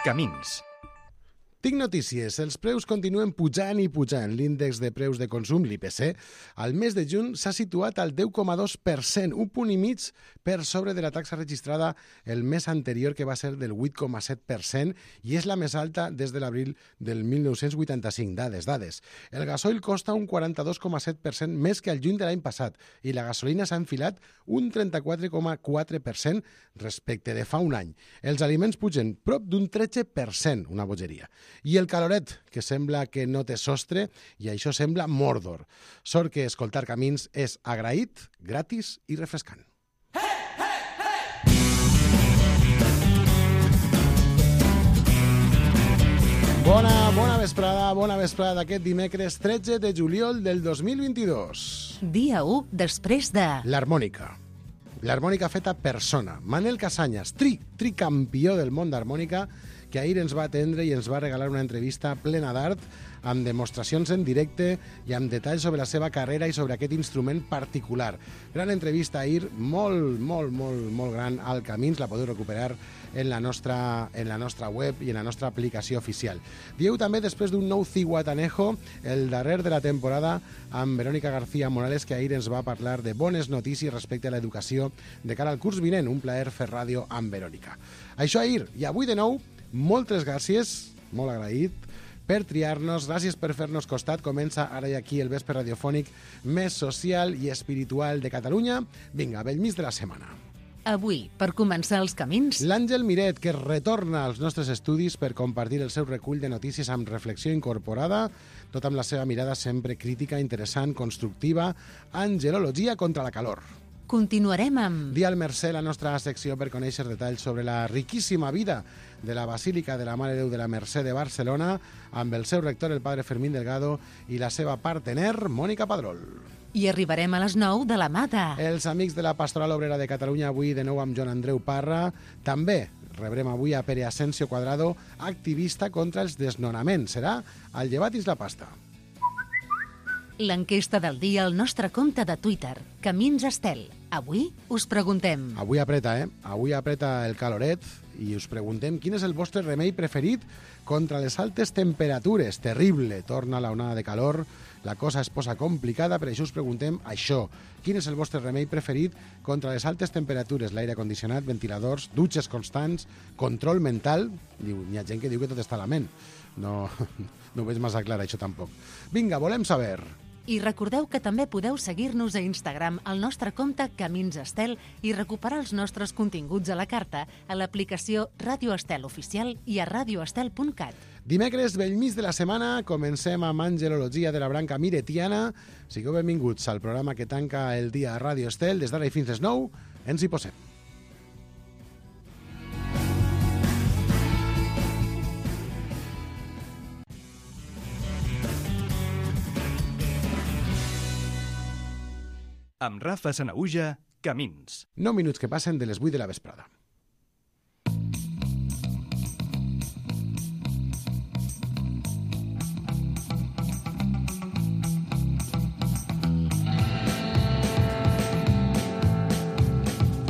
Camins. Tinc notícies. Els preus continuen pujant i pujant. L'índex de preus de consum, l'IPC, al mes de juny s'ha situat al 10,2%, un punt i mig per sobre de la taxa registrada el mes anterior, que va ser del 8,7%, i és la més alta des de l'abril del 1985. Dades. El gasoil costa un 42,7% més que el juny de l'any passat i la gasolina s'ha enfilat un 34,4% respecte de fa un any. Els aliments pugen prop d'un 13%, una bogeria. I el caloret, que sembla que no té sostre, i això sembla Mordor. Sort que escoltar Camins és agraït, gratis i refrescant. Bona vesprada d'aquest dimecres 13 de juliol del 2022. Dia 1 després de... L'harmònica. L'harmònica feta persona. Manel Casañas, tricampió del món d'harmònica, que ahir ens va atendre i ens va regalar una entrevista plena d'art, amb demostracions en directe i amb detalls sobre la seva carrera i sobre aquest instrument particular. Gran entrevista ahir, molt gran al Camins, la podeu recuperar en la nostra web i en la nostra aplicació oficial. Dieu també, després d'un nou Cihuatanejo, el darrer de la temporada, amb Verónica García Morales, que ahir ens va parlar de bones notícies respecte a l'educació de cara al curs vinent. Un plaer fer ràdio amb Verónica. Això ahir, i avui de nou, moltes gràcies, molt agraït, per triar-nos, gràcies per fer-nos costat. Comença ara i aquí el vespre radiofònic més social i espiritual de Catalunya. Vinga, Bellmís de la setmana. Avui, per començar els camins... L'Àngel Miret, que retorna als nostres estudis per compartir el seu recull de notícies amb reflexió incorporada, tot amb la seva mirada sempre crítica, interessant, constructiva, angelologia contra la calor. Continuarem amb... Dia al Mercè, la nostra secció per conèixer detalls sobre la riquíssima vida de la Basílica de la Mare de Déu de la Mercè de Barcelona, amb el seu rector, el padre Fermín Delgado, i la seva partener, Mònica Padrol. I arribarem a les 9 de la mà de... Els amics de la Pastoral Obrera de Catalunya, avui de nou amb Joan Andreu Parra. També rebrem avui a Pere Asensio Cuadrado, activista contra els desnonaments. Serà al Llevat Isla Pasta. L'enquesta del dia al nostre compte de Twitter, Camins Estel. Avui us preguntem... Avui apreta, Avui apreta el caloret i us preguntem quin és el vostre remei preferit contra les altes temperatures. Terrible, torna la onada de calor, la cosa es posa complicada, per això us preguntem això. Quin és el vostre remei preferit contra les altes temperatures? L'aire condicionat, ventiladors, dutxes constants, control mental... Hi ha gent que diu que tot està a la ment. No ho veig massa clar, això tampoc. Vinga, volem saber... I recordeu que també podeu seguir-nos a Instagram al nostre compte Camins Estel i recuperar els nostres continguts a la carta a l'aplicació Ràdio Estel Oficial i a radioestel.cat. Dimecres, Bellmís de la setmana, comencem amb angelologia de la branca miretiana. Sigueu benvinguts al programa que tanca el dia a Ràdio Estel. Des d'ara i fins les 9, ens hi posem. Amb Rafa Sanaüja, Camins. 9 minuts que passen de les 8 de la vesprada.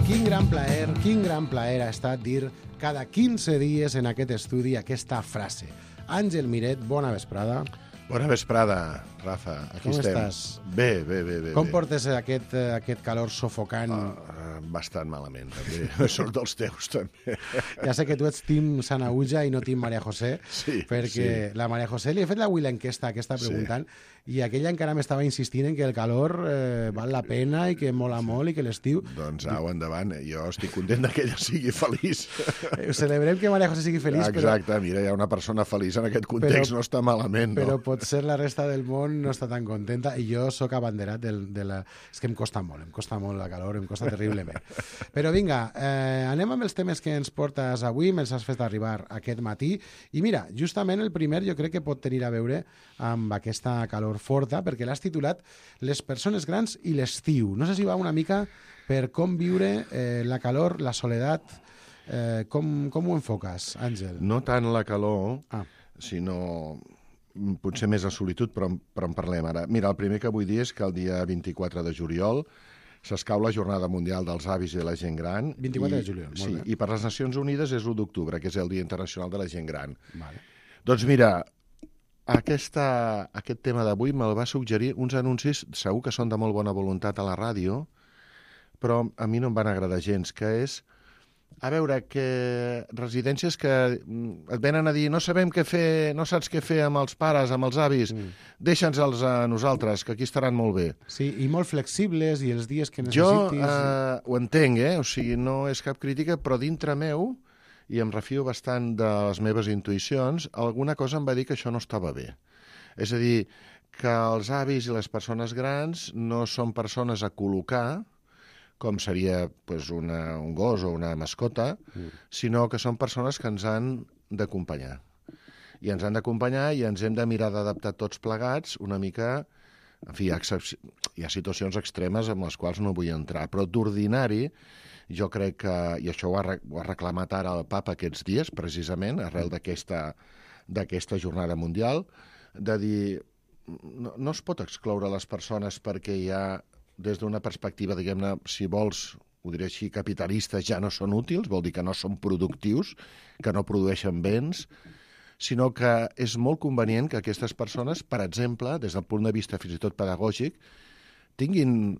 Quin gran plaer ha estat dir cada 15 dies en aquest estudi aquesta frase. Àngel Miret, bona vesprada. Bona vesprada, Rafa. Aquí Com estem. estàs? Bé. Com portes aquest calor sofocant? Bastant malament, també. Sort dels teus, també. Ja sé que tu ets team Sanaüja i no team Maria José, Sí, perquè la Maria José li he fet avui l'enquesta que està preguntant, i aquella encara m'estava insistint en que el calor val la pena i que mola molt i que l'estiu... Doncs au, endavant. Jo estic content que ella sigui feliç. Celebrem que Maria José sigui feliç, Exacte, mira, hi ha una persona feliç en aquest context, no està malament, no? però potser la resta del món no està tan contenta, i jo sóc abanderat de la... És que em costa molt la calor, em costa terriblement. Però vinga, anem amb els temes que ens portes avui, me'ls has fet arribar aquest matí, i mira, justament el primer jo crec que pot tenir a veure amb aquesta calor forta, perquè l'has titulat Les persones grans i l'estiu. No sé si va una mica per com viure la calor, la soledat. Com ho enfoques, Àngel? No tant la calor, sinó potser més la solitud, però en parlem ara. Mira, el primer que vull dir és que el dia 24 de juliol s'escau la Jornada Mundial dels Avis i de la Gent Gran. 24 de juliol, molt bé. I per les Nacions Unides és l'1 d'octubre, que és el Dia Internacional de la Gent Gran. Vale. Doncs mira, aquest tema d'avui me'l va suggerir uns anuncis, segur que són de molt bona voluntat a la ràdio, però a mi no em van agradar gens, que és, a veure, que residències que et venen a dir no sabem què fer, no saps què fer amb els pares, amb els avis, deixa'ns-els a nosaltres, que aquí estaran molt bé. Sí, i molt flexibles, i els dies que Jo necessitis... ho entenc, o sigui, no és cap crítica, però dintre meu, i em refio bastant de les meves intuïcions, alguna cosa em va dir que això no estava bé. És a dir, que els avis i les persones grans no són persones a col·locar, com seria pues, un gos o una mascota, sinó que són persones que ens han d'acompanyar. I ens han d'acompanyar i ens hem de mirar d'adaptar tots plegats una mica... En fi, hi ha situacions extremes amb les quals no vull entrar, però d'ordinari jo crec que, i això ho ha reclamat ara el papa aquests dies, precisament, arrel d'aquesta jornada mundial, de dir, no es pot excloure les persones perquè hi ha, des d'una perspectiva, diguem-ne, si vols, ho diré així, capitalistes, ja no són útils, vol dir que no són productius, que no produeixen béns, sinó que és molt convenient que aquestes persones, per exemple, des del punt de vista fins i tot pedagògic, tinguin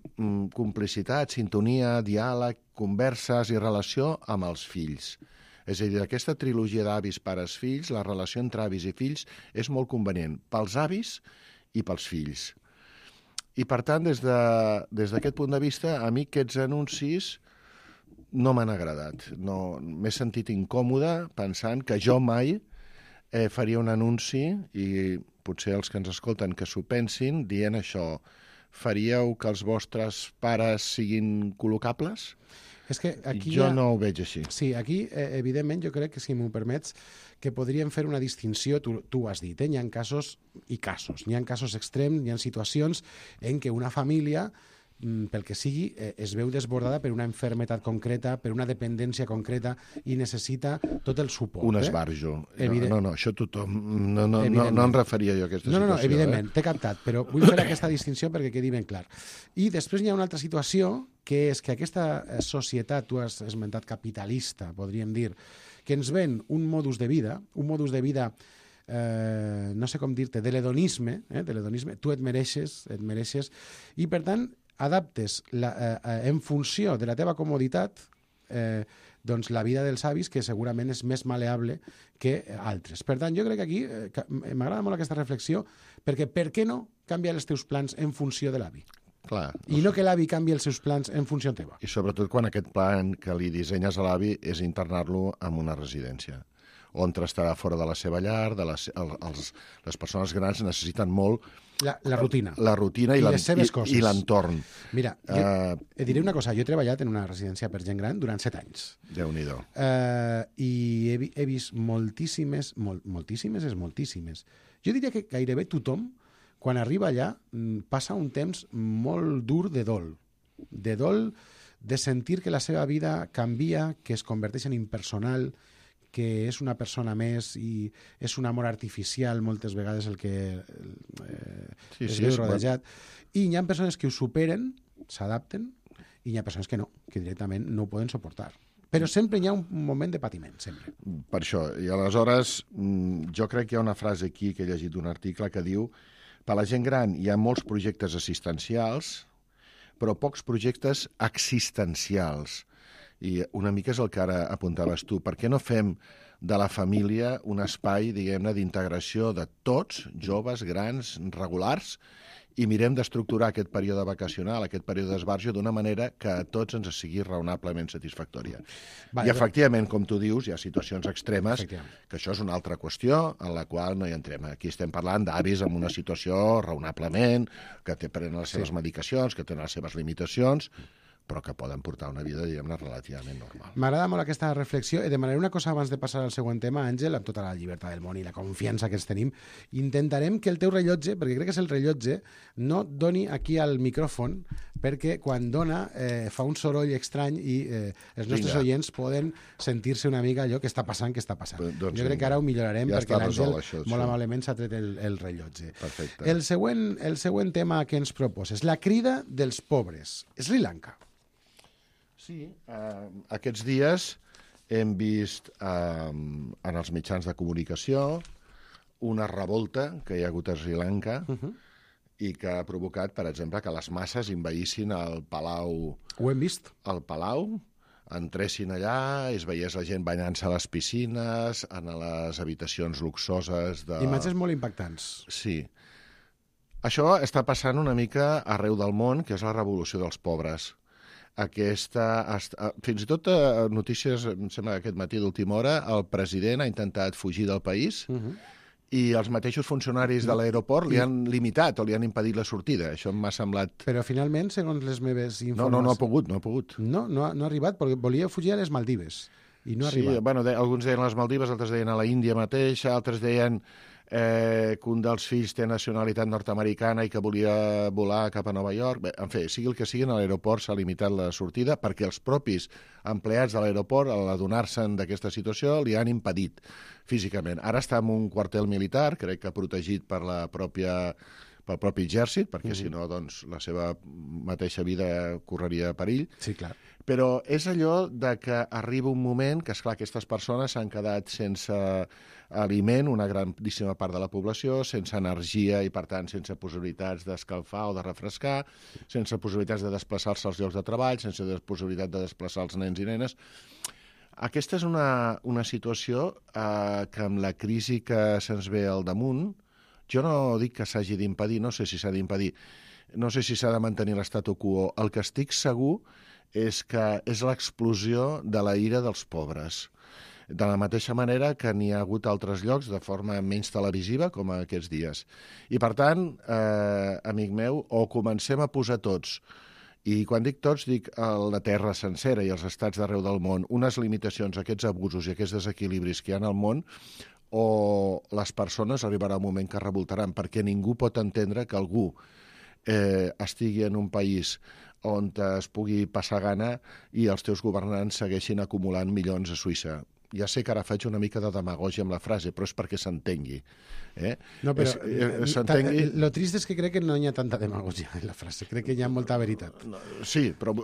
complicitat, sintonia, diàleg, converses i relació amb els fills. És a dir, aquesta trilogia d'avis, pares, fills, la relació entre avis i fills és molt convenient pels avis i pels fills. I, per tant, des d'aquest punt de vista, a mi aquests anuncis no m'han agradat. M'he sentit incòmode pensant que jo mai faria un anunci, i potser els que ens escolten que s'ho pensin, dient això, faríeu que els vostres pares siguin col·locables? És que aquí jo no ho veig així. Sí, aquí, evidentment, jo crec que, si m'ho permets, que podríem fer una distinció, tu ho has dit, hi ha casos i casos. Hi ha casos extrems, hi ha situacions en què una família, pel que sigui, es veu desbordada per una malaltia concreta, per una dependència concreta, i necessita tot el suport. Un esbarjo. No, això tothom... No em referia jo a aquesta situació. No, evidentment, t'he captat, però vull fer aquesta distinció perquè quedi ben clar. I després hi ha una altra situació, que és que aquesta societat, tu has esmentat capitalista, podríem dir, que ens ven un modus de vida, no sé com dir-te, de l'hedonisme, tu et mereixes, i per tant adaptes en funció de la teva comoditat doncs la vida dels avis, que segurament és més maleable que altres. Per tant, jo crec que aquí m'agrada molt aquesta reflexió, perquè per què no canviar els teus plans en funció de l'avi? Clar. I no que l'avi canvi els seus plans en funció teva. I sobretot quan aquest plan que li dissenyes a l'avi és internar-lo en una residència, on estarà fora de la seva llar, les persones grans necessiten molt la rutina. La rutina i les seves coses. I l'entorn. Mira, et diré una cosa, jo he treballat en una residència per gent gran durant 7 anys. Déu-n'hi-do. I he vist moltíssimes. Jo diria que gairebé tothom, quan arriba allà, passa un temps molt dur de dol, de sentir que la seva vida canvia, que es converteix en impersonal, que és una persona més i és un amor artificial moltes vegades el que es veu rodejat. I hi ha persones que ho superen, s'adapten, i hi ha persones que no, que directament no ho poden suportar. Però sempre hi ha un moment de patiment, sempre. Per això. I aleshores, jo crec que hi ha una frase aquí que he llegit d'un article que diu: per la gent gran hi ha molts projectes assistencials, però pocs projectes existencials. I una mica és el que ara apuntaves tu. Per què no fem de la família un espai, diguem-ne, d'integració de tots, joves, grans, regulars, i mirem d'estructurar aquest període vacacional, aquest període d'esbarjo, d'una manera que a tots ens sigui raonablement satisfactòria. I, efectivament, com tu dius, hi ha situacions extremes, que això és una altra qüestió en la qual no hi entrem. Aquí estem parlant d'avis en una situació raonablement, que prenen les seves medicacions, que tenen les seves limitacions, però que poden portar una vida, diguem-ne, relativament normal. M'agrada molt aquesta reflexió, i demanaré una cosa abans de passar al següent tema, Àngel, amb tota la llibertat del món i la confiança que ens tenim. Intentarem que el teu rellotge, perquè crec que és el rellotge, no et doni aquí al micròfon perquè quan dona fa un soroll estrany i els nostres oients poden sentir-se una mica allò que està passant. Jo crec que ara ho millorarem perquè l'Àngel molt amablement s'ha tret el rellotge. Perfecte. El següent tema que ens proposes, la crida dels pobres, Sri Lanka. Sí, aquests dies hem vist en els mitjans de comunicació una revolta que hi ha hagut a Sri Lanka i que ha provocat, per exemple, que les masses envaïssin el palau. Ho hem vist. El palau, entressin allà, es veiés la gent banyant-se a les piscines, en les habitacions luxoses de... Imatges molt impactants. Sí. Això està passant una mica arreu del món, que és la revolució dels pobres. Fins i tot notícies, em sembla que aquest matí d'última hora, el president ha intentat fugir del país i els mateixos funcionaris de l'aeroport li han limitat o li han impedit la sortida. Això m'ha semblat... Però finalment, segons les meves informacions... No ha pogut. No ha arribat, perquè volia fugir a les Maldives i no ha arribat. Sí, bueno, alguns deien a les Maldives, altres deien a la Índia mateix, altres deien que un dels fills té nacionalitat nord-americana i que volia volar cap a Nova York. Bé, en fi, sigui el que sigui, a l'aeroport s'ha limitat la sortida perquè els propis empleats de l'aeroport, al adonar-se'n d'aquesta situació, li han impedit físicament. Ara està en un quartel militar, crec que protegit per pel propi exèrcit, perquè si no, doncs, la seva mateixa vida correria perill. Sí, clar. Però és allò de que arriba un moment que, esclar, aquestes persones s'han quedat sense aliment, una grandíssima part de la població, sense energia i, per tant, sense possibilitats d'escalfar o de refrescar, sense possibilitats de desplaçar-se als llocs de treball, sense possibilitat de desplaçar els nens i nenes. Aquesta és una situació que amb la crisi que se'ns ve al damunt, jo no dic que s'hagi d'impedir, no sé si s'ha d'impedir, no sé si s'ha de mantenir l'estatu quo. El que estic segur és que és l'explosió de la ira dels pobres. De la mateixa manera que n'hi ha hagut altres llocs de forma menys televisiva, com aquests dies. I, per tant, amic meu, o comencem a posar tots, i quan dic tots, dic la terra sencera i els estats d'arreu del món, unes limitacions a aquests abusos i aquests desequilibris que hi ha al món, o les persones arribarà un moment que revoltaran, perquè ningú pot entendre que algú estigui en un país on es pugui passar gana i els teus governants segueixin acumulant milions a Suïssa. Ja sé que ara faig una mica de demagògia amb la frase, però és perquè s'entengui. No, però lo trist és que crec que no hi ha tanta demagògia en la frase, crec que hi ha molta veritat. Sí, però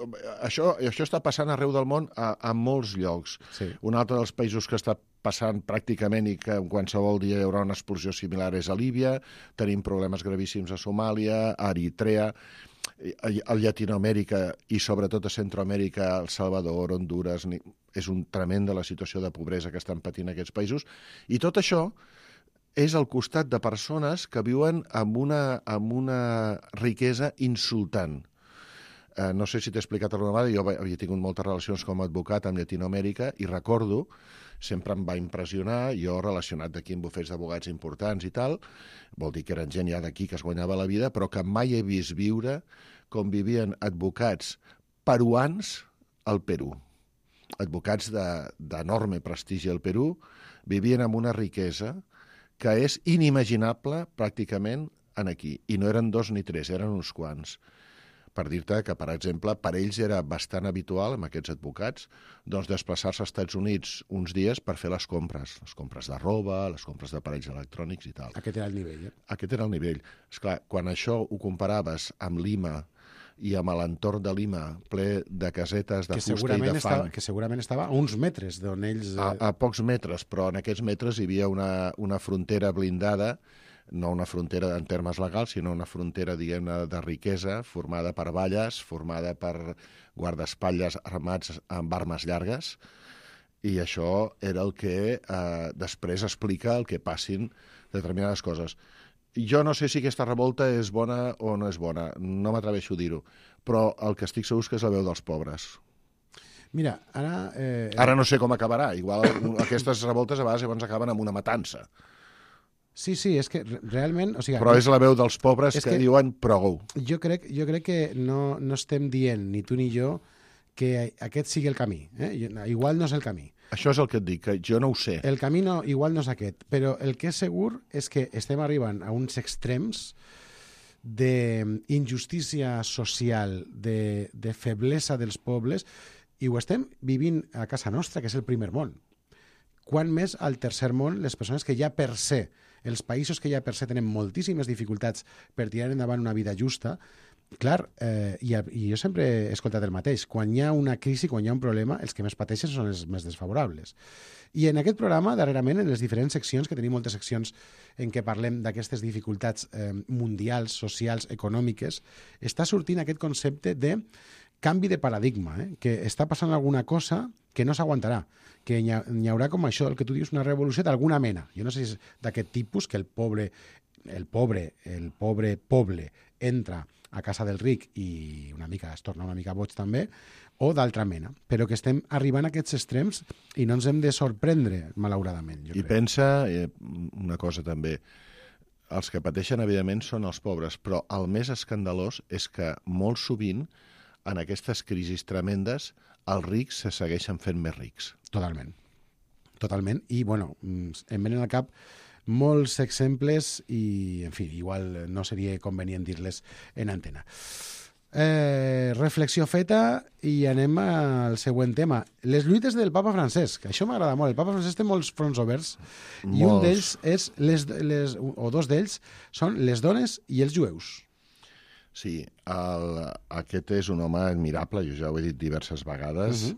això està passant arreu del món a molts llocs. Sí. Un altre dels països que està passant pràcticament i que en qualsevol dia hi haurà una explosió similar és a Líbia, tenim problemes gravíssims a Somàlia, a Eritrea, a Llatinoamèrica i sobretot a Centroamèrica, El Salvador, Hondures, és un tremenda la situació de pobresa que estan patint aquests països. I tot això és al costat de persones que viuen amb una riquesa insultant. No sé si t'he explicat alguna vegada, jo havia tingut moltes relacions com a advocat amb Llatinoamèrica i recordo, sempre em va impressionar, jo relacionat d'aquí amb bufets d'advocats importants i tal, vol dir que eren gent ja d'aquí que es guanyava la vida, però que mai he vist viure com vivien advocats peruans al Perú. Advocats d'enorme prestigi al Perú vivien amb una riquesa que és inimaginable pràcticament aquí. I no eren 2 ni 3, eren uns quants. Per dir-te que, per exemple, per ells era bastant habitual, amb aquests advocats, doncs desplaçar-se als Estats Units uns dies per fer les compres de roba, les compres d'aparells electrònics i tal. Aquest era el nivell, Aquest era el nivell. Esclar, quan això ho comparaves amb Lima i amb l'entorn de Lima, ple de casetes de fusta i de fang... Que segurament estava a uns metres d'on ells... A pocs metres, però en aquests metres hi havia una frontera blindada, no una frontera en termes legals, sinó una frontera, diguem-ne, de riquesa, formada per valles, formada per guardaespatlles armats amb armes llargues, i això era el que després explica el que passin determinades coses. Jo no sé si aquesta revolta és bona o no és bona, no m'atreveixo a dir-ho, però el que estic segur és que és la veu dels pobres. Mira, ara... Ara no sé com acabarà, igual aquestes revoltes a vegades llavors acaben amb una matança. Sí, és que realment... O sigui, però és la veu dels pobres que diuen prou. Jo crec que no estem dient, ni tu ni jo, que aquest sigui el camí. Igual no és el camí. Això és el que et dic, que jo no ho sé. El camí igual no és aquest, però el que és segur és que estem arribant a uns extrems d'injustícia social, de feblesa dels pobles, i ho estem vivint a casa nostra, que és el primer món. Quan més al tercer món, les persones que ja per se, els països que ja per se tenen moltíssimes dificultats per tirar endavant una vida justa, clar, i jo sempre he escoltat el mateix, quan hi ha una crisi, quan hi ha un problema, els que més pateixen són els més desfavorables. I en aquest programa, darrerament, en les diferents seccions, que tenim moltes seccions en què parlem d'aquestes dificultats mundials, socials, econòmiques, està sortint aquest concepte de canvi de paradigma, que està passant alguna cosa que no s'aguantarà, que hi haurà com això, el que tu dius, una revolució d'alguna mena. Jo no sé si és d'aquest tipus, que el pobre poble entra a casa del ric i es torna una mica boig també, o d'altra mena, però que estem arribant a aquests extrems i no ens hem de sorprendre, malauradament. I pensa una cosa també, els que pateixen, evidentment, són els pobres, però el més escandalós és que molt sovint, en aquestes crisis tremendes, els rics se segueixen fent més rics. Totalment. Totalment. I, bueno, em venen al cap molts exemples i, en fi, igual no seria convenient dir-les en antena. Reflexió feta i anem al següent tema. Les lluites del papa Francesc. Això m'agrada molt. El papa Francesc té molts fronts oberts i un d'ells és, o dos d'ells, són les dones i els jueus. Sí, aquest és un home admirable, jo ja ho he dit diverses vegades,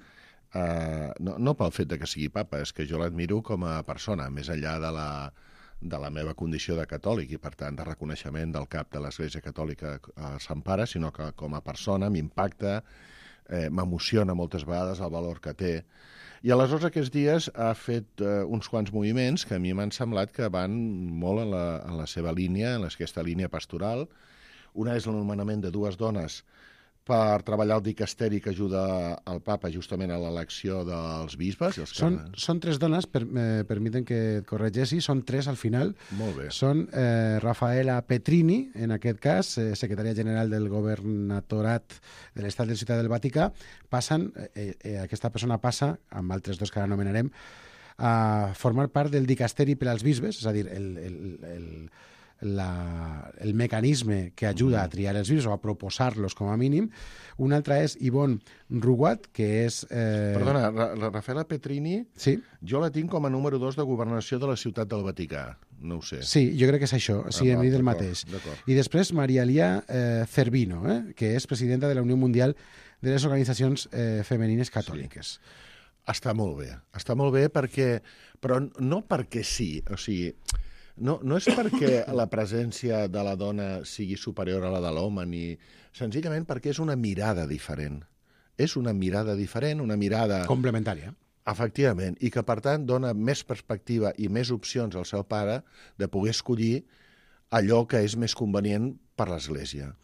no pel fet de que sigui papa, és que jo l'admiro com a persona, més enllà de la meva condició de catòlic i, per tant, de reconeixement del cap de l'Església Catòlica a Sant Pare, sinó que com a persona m'impacta, m'emociona moltes vegades el valor que té. I aleshores aquests dies ha fet uns quants moviments que a mi m'han semblat que van molt en la seva línia, en aquesta línia pastoral. Una és l'anomenament de dues dones per treballar el dicasteri que ajuda el papa justament a l'elecció dels bisbes. Són tres dones, permiten que et corregeixi, són tres al final. Molt bé. Són Rafaela Petrini, en aquest cas, secretària general del governatorat de l'Estat de Ciutat del Vaticà. Aquesta persona passa, amb altres dos que ara anomenarem, a formar part del dicasteri per als bisbes, és a dir, el mecanisme que ajuda a triar els bisbes o a proposar-los com a mínim. Una altra és Yvonne Rougat, que és... Perdona, la Rafaela Petrini, sí? Jo la tinc com a número 2 de governació de la Ciutat del Vaticà, no ho sé. Sí, jo crec que és això, sí, hem dit el mateix. I després Maria Elia Cervino, que és presidenta de la Unió Mundial de les Organitzacions Femenines Catòliques. Sí. Està molt bé perquè... Però no perquè sí, o sigui... No és perquè la presència de la dona sigui superior a la de l'home, ni senzillament perquè és una mirada diferent. És una mirada diferent, una mirada... complementària. Efectivament, i que, per tant, dona més perspectiva i més opcions al seu pare de poder escollir allò que és més convenient per l'Església.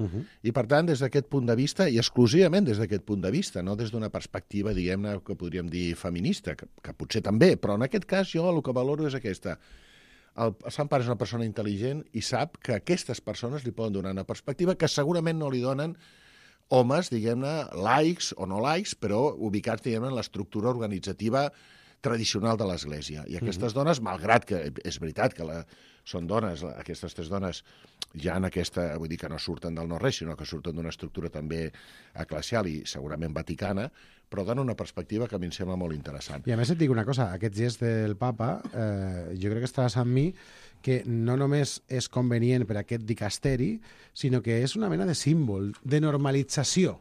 I, per tant, des d'aquest punt de vista, i exclusivament des d'aquest punt de vista, no des d'una perspectiva, diguem-ne, que podríem dir feminista, que potser també, però en aquest cas jo el que valoro és aquesta. El Sant Pare és una persona intel·ligent i sap que aquestes persones li poden donar una perspectiva que segurament no li donen homes, diguem-ne, laics o no laics, però ubicats, diguem-ne, en l'estructura organitzativa tradicional de l'Església. I aquestes dones, malgrat que és veritat que són dones, aquestes tres dones ja en aquesta, vull dir que no surten del no-res, sinó que surten d'una estructura també eclesial i segurament vaticana, però dona una perspectiva que a mi em sembla molt interessant. I a més et dic una cosa, aquest gest del papa, jo crec que estaràs amb mi, que no només és convenient per a aquest dicasteri, sinó que és una mena de símbol, de normalització,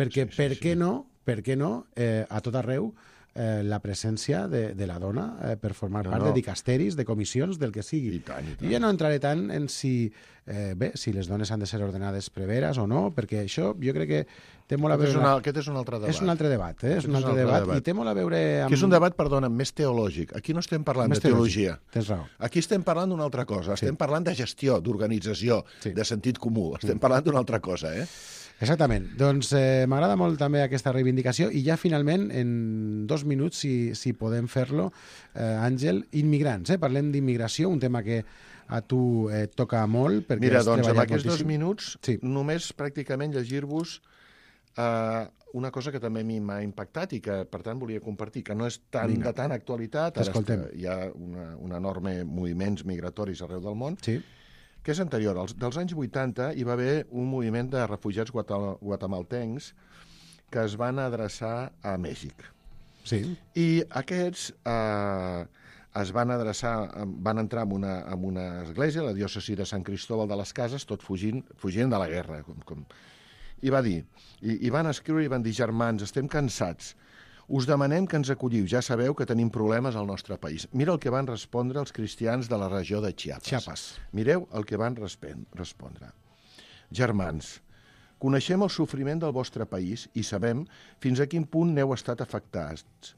perquè per què no, a tot arreu, la presència de la dona per formar part de dicasteris, de comissions, del que sigui. I tant. I jo no entraré tant en si les dones han de ser ordenades preveres o no, perquè això jo crec que té molt a veure... Aquest és un altre debat. És un altre debat, és un altre debat. I té molt a veure amb... Que és un debat, perdona, més teològic. Aquí no estem parlant de teologia. Tens raó. Aquí estem parlant d'una altra cosa. Estem parlant de gestió, d'organització, de sentit comú. Estem parlant d'una altra cosa, Exactament. Doncs m'agrada molt també aquesta reivindicació i ja finalment, en 2 minuts, si podem fer-lo, Àngel, immigrants. Parlem d'immigració, un tema que a tu et toca molt. Mira, doncs amb aquests 2 minuts només pràcticament llegir-vos una cosa que també a mi m'ha impactat i que, per tant, volia compartir, que no és de tan actualitat. T'escoltem. Hi ha un enorme moviments migratoris arreu del món, que que és anterior. Dels anys 80 hi va haver un moviment de refugiats guatemaltencs que es van adreçar a Mèxic. Sí. I aquests es van adreçar, van entrar en una església, la diòcesi de Sant Cristóbal de les Cases, tot fugint de la guerra. I va dir, i van escriure i van dir: germans, estem cansats, us demanem que ens acolliu, ja sabeu que tenim problemes al nostre país. Mira el que van respondre els cristians de la regió de Chiapas. Mireu el que van respondre. Germans, coneixem el sofriment del vostre país i sabem fins a quin punt n'heu estat afectats.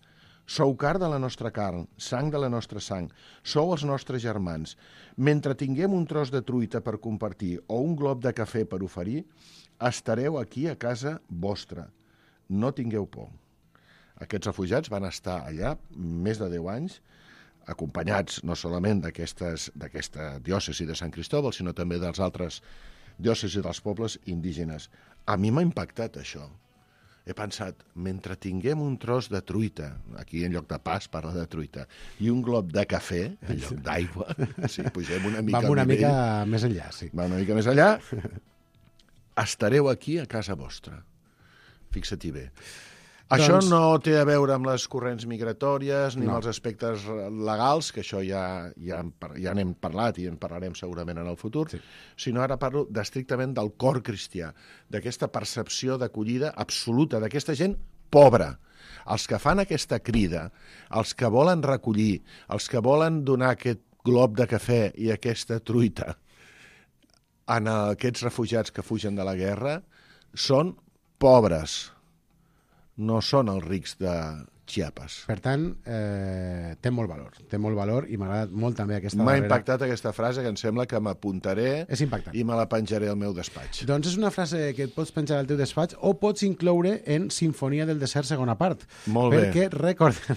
Sou carn de la nostra carn, sang de la nostra sang, sou els nostres germans. Mentre tinguem un tros de truita per compartir o un glob de cafè per oferir, estareu aquí a casa vostra. No tingueu por. Aquests refugiats van estar allà més de 10 anys, acompanyats no solament d'aquesta diòcesi de Sant Cristóbal, sinó també dels altres diòcesis dels pobles indígenes. A mi m'ha impactat això. He pensat, mentre tinguem un tros de truita, aquí en lloc de pas parla de truita, i un glob de cafè, en lloc d'aigua, si pugem una mica vam una mica més enllà, sí. Va una mica més enllà, estareu aquí a casa vostra. Fixa-t'hi bé. Això no té a veure amb les corrents migratòries ni amb els aspectes legals, que això ja n'hem parlat i en parlarem segurament en el futur, sinó ara parlo estrictament del cor cristià, d'aquesta percepció d'acollida absoluta d'aquesta gent pobra. Els que fan aquesta crida, els que volen recollir, els que volen donar aquest glob de cafè i aquesta truita a aquests refugiats que fugen de la guerra, són pobres. No són els rics de Chiapas. Per tant, té molt valor i m'ha agradat molt també aquesta darrera. M'ha impactat aquesta frase que em sembla que m'apuntaré i me la penjaré al meu despatx. Doncs és una frase que et pots penjar al teu despatx o pots incloure en Sinfonia del desert segona part. Molt bé. Perquè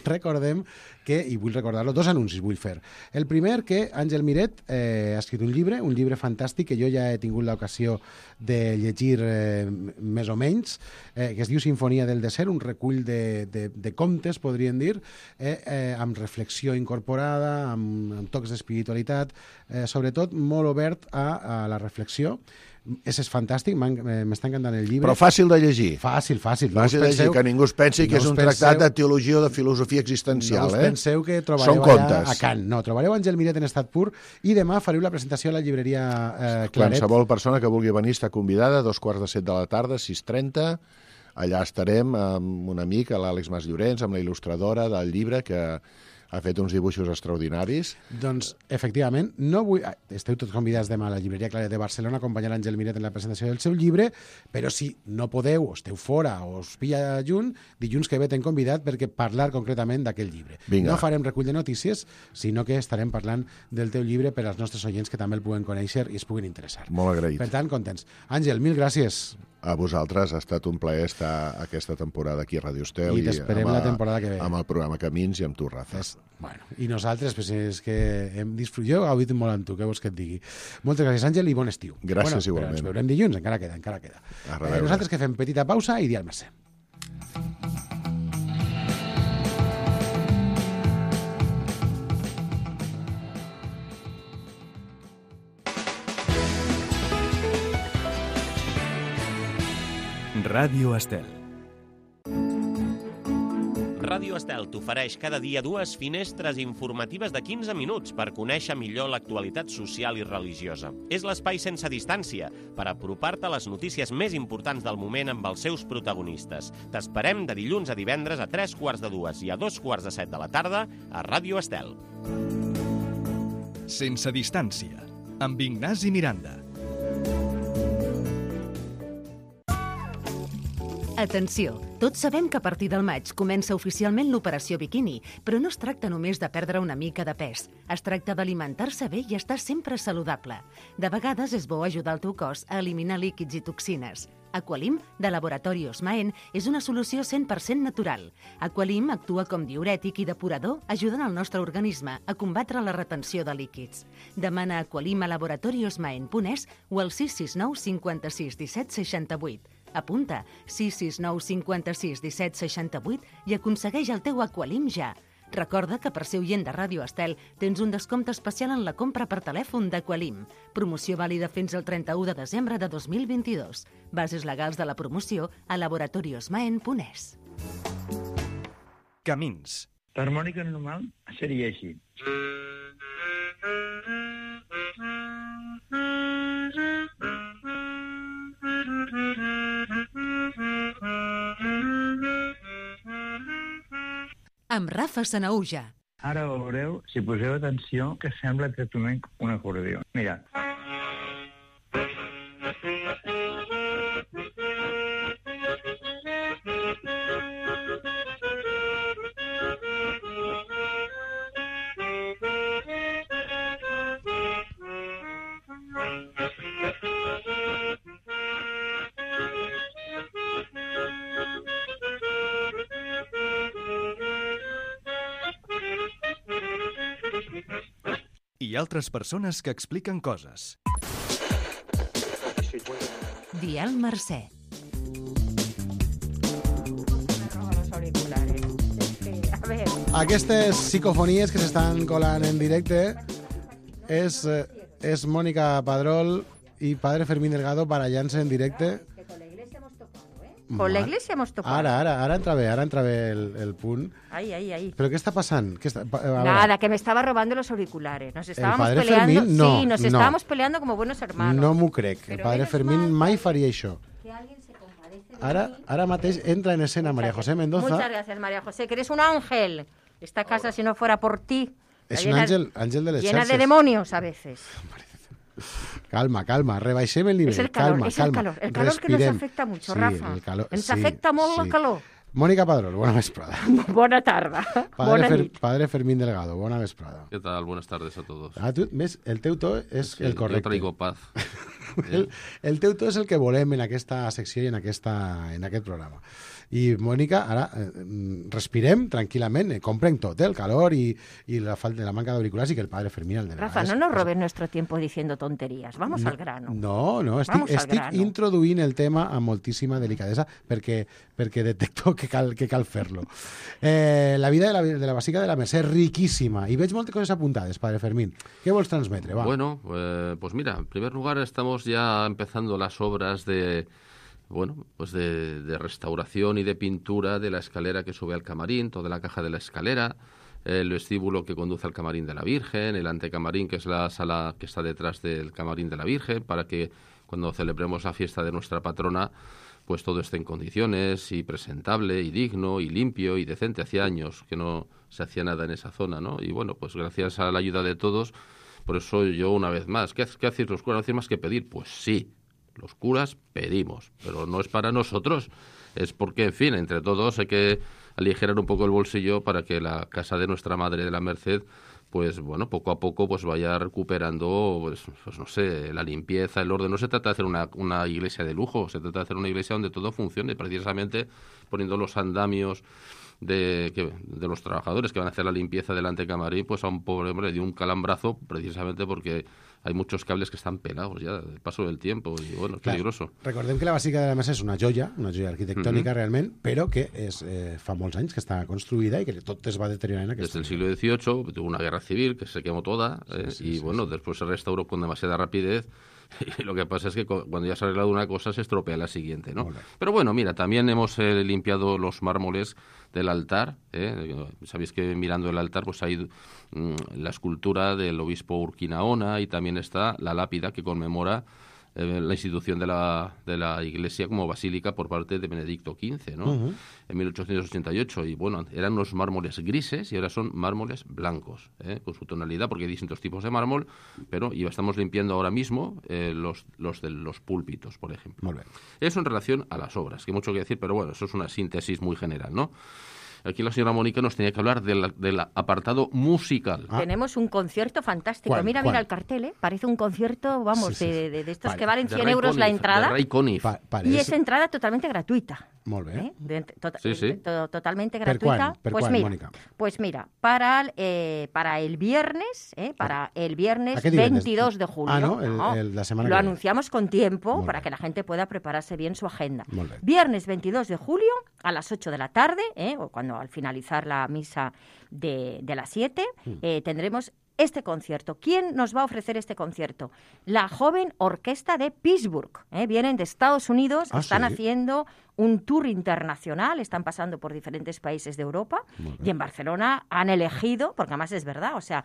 recordem que, i vull recordar-lo, 2 anuncis vull fer. El primer, que Àngel Miret ha escrit un llibre fantàstic que jo ja he tingut l'ocasió de llegir més o menys, que es diu Sinfonia del desert, un recull de contes, podríem dir, amb reflexió incorporada, amb tocs d'espiritualitat, sobretot molt obert a la reflexió. És fantàstic, m'està encantant el llibre. Però fàcil de llegir. Fàcil. Fàcil de llegir, que ningú es pensi que és un tractat de teologia o de filosofia existencial. No us penseu que trobareu allà a Kant. No, trobareu Àngel Miret en estat pur i demà fareu la presentació a la llibreria Claret. Qualsevol persona que vulgui venir està convidada, 2:45 de la tarda, 6:30. Allà estarem amb un amic, l'Àlex Mas Llorenç, amb la il·lustradora del llibre, que ha fet uns dibuixos extraordinaris. Doncs, efectivament, esteu tots convidats demà a la llibreria Claret de Barcelona a acompanyar Àngel Miret en la presentació del seu llibre, però si no podeu, o esteu fora, o us pilla dilluns que ve t'hem convidat perquè parlar concretament d'aquell llibre. Vinga. No farem recull de notícies, sinó que estarem parlant del teu llibre per als nostres oients que també el puguen conèixer i es puguin interessar. Molt agraït. Per tant, contents. Àngel, mil gràcies. A vosaltres, ha estat un plaer estar aquesta temporada aquí a Ràdio Estel. I t'esperem la temporada que ve. Amb el programa Camins i amb tu, Rafa. I nosaltres, pues, és que hem disfrutat. Jo he gaudit molt amb tu, què vols que et digui. Moltes gràcies, Àngel, i bon estiu. Gràcies, igualment. Ens veurem dilluns, encara queda. Nosaltres que fem petita pausa i Dial Mercè. Ràdio Estel. Ràdio Estel t'ofereix cada dia 2 finestres informatives de 15 minuts per conèixer millor l'actualitat social i religiosa. És l'espai sense distància per apropar-te a les notícies més importants del moment amb els seus protagonistes. T'esperem de dilluns a divendres a 3:45 i a 2:45 de la tarda a Ràdio Estel. Sense distància, amb Ignasi Miranda. Atenció! Tots sabem que a partir del maig comença oficialment l'operació biquini, però no es tracta només de perdre una mica de pes. Es tracta d'alimentar-se bé i estar sempre saludable. De vegades és bo ajudar el teu cos a eliminar líquids i toxines. Aqualim, de Laboratori Osmaen, és una solució 100% natural. Aqualim actua com diürètic i depurador, ajudant el nostre organisme a combatre la retenció de líquids. Demana Aqualim a laboratoriosmaen.es o al 669 56 17 68. Apunta 669 56 17 68 i aconsegueix el teu Aqualim ja. Recorda que per ser oient de Ràdio Estel tens un descompte especial en la compra per telèfon d'Aqualim. Promoció vàlida fins al 31 de desembre de 2022. Bases legals de la promoció a laboratoriosmaen.es. Camins. L'harmònica normal seria així. Amb Rafa Sanaüja. Ara veureu, si poseu atenció, que sembla exactament un acordió. Mira. I altres persones que expliquen coses. Dial Mercè. Aquestes psicofonies que s'estan colant en directe és Mónica Padrol i Padre Fermín Delgado barallant-se en directe. Con la iglesia hemos tocado. Ara entra bé el punt. Ahí. ¿Pero qué está pasando? Nada, que me estaba robando los auriculares. Nos estábamos padre peleando. Fermín? No, sí, nos no. estábamos peleando como buenos hermanos. No m'ho crec. El Pero padre menos Fermín mal mai faria això. que alguien se compadece de mí. Ara mateix entra en escena María José Mendoza. Muchas gracias, María José, que eres un ángel. Esta casa, si no fuera por ti, És está un llena- àngel de les llena de xarxes. demonios a veces. Calma, rebaixem el nivell. Es el calor, calma, es el calma. calor. El calor que Respirem. nos afecta mucho, Sí, Rafa. el calor, Ens sí, afecta molt el sí. calor. Mónica Padrol, bona vesprada. Bona tarda. Bona nit. Padre Fermín Delgado, bona vesprada. ¿Qué tal? Buenas tardes a todos. Tu, ves, el teu to és Sí, el yo correcte. traigo paz. El teu to és el que volem en aquesta secció i en aquest programa. I, Mònica, ara respirem tranquil·lament, comprenc tot, el calor i la manca d'auriculars i que el padre Fermín el de Rafa, no nos robes nuestro tiempo diciendo tonterías. Vamos al grano. No, Vamos al estic grano. introduint el tema amb moltíssima delicadesa perquè detecto que cal fer-lo. La vida de la Basílica de la Mercè és riquíssima i veig moltes coses apuntades, padre Fermín. Què vols transmetre? Va. Bueno, pues mira, en primer lugar estamos ya empezando las obras de restauración y de pintura de la escalera que sube al camarín, toda la caja de la escalera, el vestíbulo que conduce al camarín de la Virgen, el antecamarín, que es la sala que está detrás del camarín de la Virgen, para que cuando celebremos la fiesta de nuestra patrona, pues todo esté en condiciones y presentable y digno y limpio y decente. Hacía años que no se hacía nada en esa zona, ¿no? Y bueno, pues gracias a la ayuda de todos, por eso yo una vez más, ¿qué hacéis los curas? ¿No hacéis más que pedir? Pues sí, los curas pedimos, pero no es para nosotros, es porque, en fin, entre todos hay que aligerar un poco el bolsillo para que la casa de nuestra Madre de la Merced, pues bueno, poco a poco pues vaya recuperando, pues no sé, la limpieza, el orden. No se trata de hacer una iglesia de lujo, se trata de hacer una iglesia donde todo funcione, precisamente poniendo los andamios de los trabajadores que van a hacer la limpieza del antecamarín, pues a un pobre hombre le dio un calambrazo precisamente porque hay muchos cables que están pelados ya del paso del tiempo y bueno, es peligroso. Recordem que la Basílica de la Mercè és una joia arquitectònica realment, però que fa molts anys que està construïda i que tot es va deteriorant en Desde el siglo XVIII tuvo una guerra civil que se quemó toda después se restauró con demasiada rapidez. Y lo que pasa es que cuando ya se ha arreglado una cosa se estropea la siguiente, ¿no? Pero bueno, mira, también hemos limpiado los mármoles del altar, sabéis que mirando el altar pues hay la escultura del obispo Urquinaona y también está la lápida que conmemora la institución de la Iglesia como basílica por parte de Benedicto XV, ¿no? En 1888. Y bueno, eran unos mármoles grises y ahora son mármoles blancos, con su tonalidad, porque hay distintos tipos de mármol, y estamos limpiando ahora mismo los de los púlpitos, por ejemplo. Molt bé. Eso en relación a las obras, que mucho que decir, pero bueno, eso es una síntesis muy general, ¿no? Aquí la señora Mónica nos tenía que hablar del apartado musical. Tenemos un concierto fantástico. ¿Cuál? Mira el cartel, Parece un concierto, vamos, Sí. de estos Vale. que valen De 100 Ray euros la Conniff, entrada. de Ray Conniff. Y es entrada totalmente gratuita. Molt bé. Totalmente Per gratuïta. quan? Per quan, Mònica? Pues mira, para el viernes, ¿A qué divendres? 22 de julio. Ah, ¿no? La semana lo que viene. anunciamos con tiempo Molt para bé. que la gente pueda prepararse bien su agenda. Molt bé. Viernes 22 de julio a las 8 de la tarde, o cuando al finalizar la misa de las 7, tendremos este concierto. ¿Quién nos va a ofrecer este concierto? La joven orquesta de Pittsburgh. Vienen de Estados Unidos, están haciendo un tour internacional, están pasando por diferentes países de Europa y en Barcelona han elegido, porque además es verdad, o sea,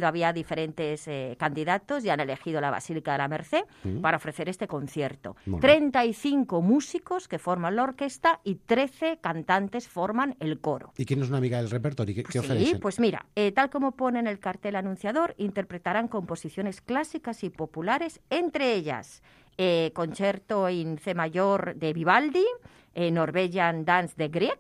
había diferentes candidatos y han elegido la Basílica de la Merced para ofrecer este concierto. 35 músicos que forman la orquesta y 13 cantantes forman el coro. ¿Y quién es una amiga del repertorio? ¿Qué Sí, ofrecen? pues mira, tal como pone en el cartel anunciador, interpretarán composiciones clásicas y populares, entre ellas Concerto en C mayor de Vivaldi, Norwegian Dance de Grieg,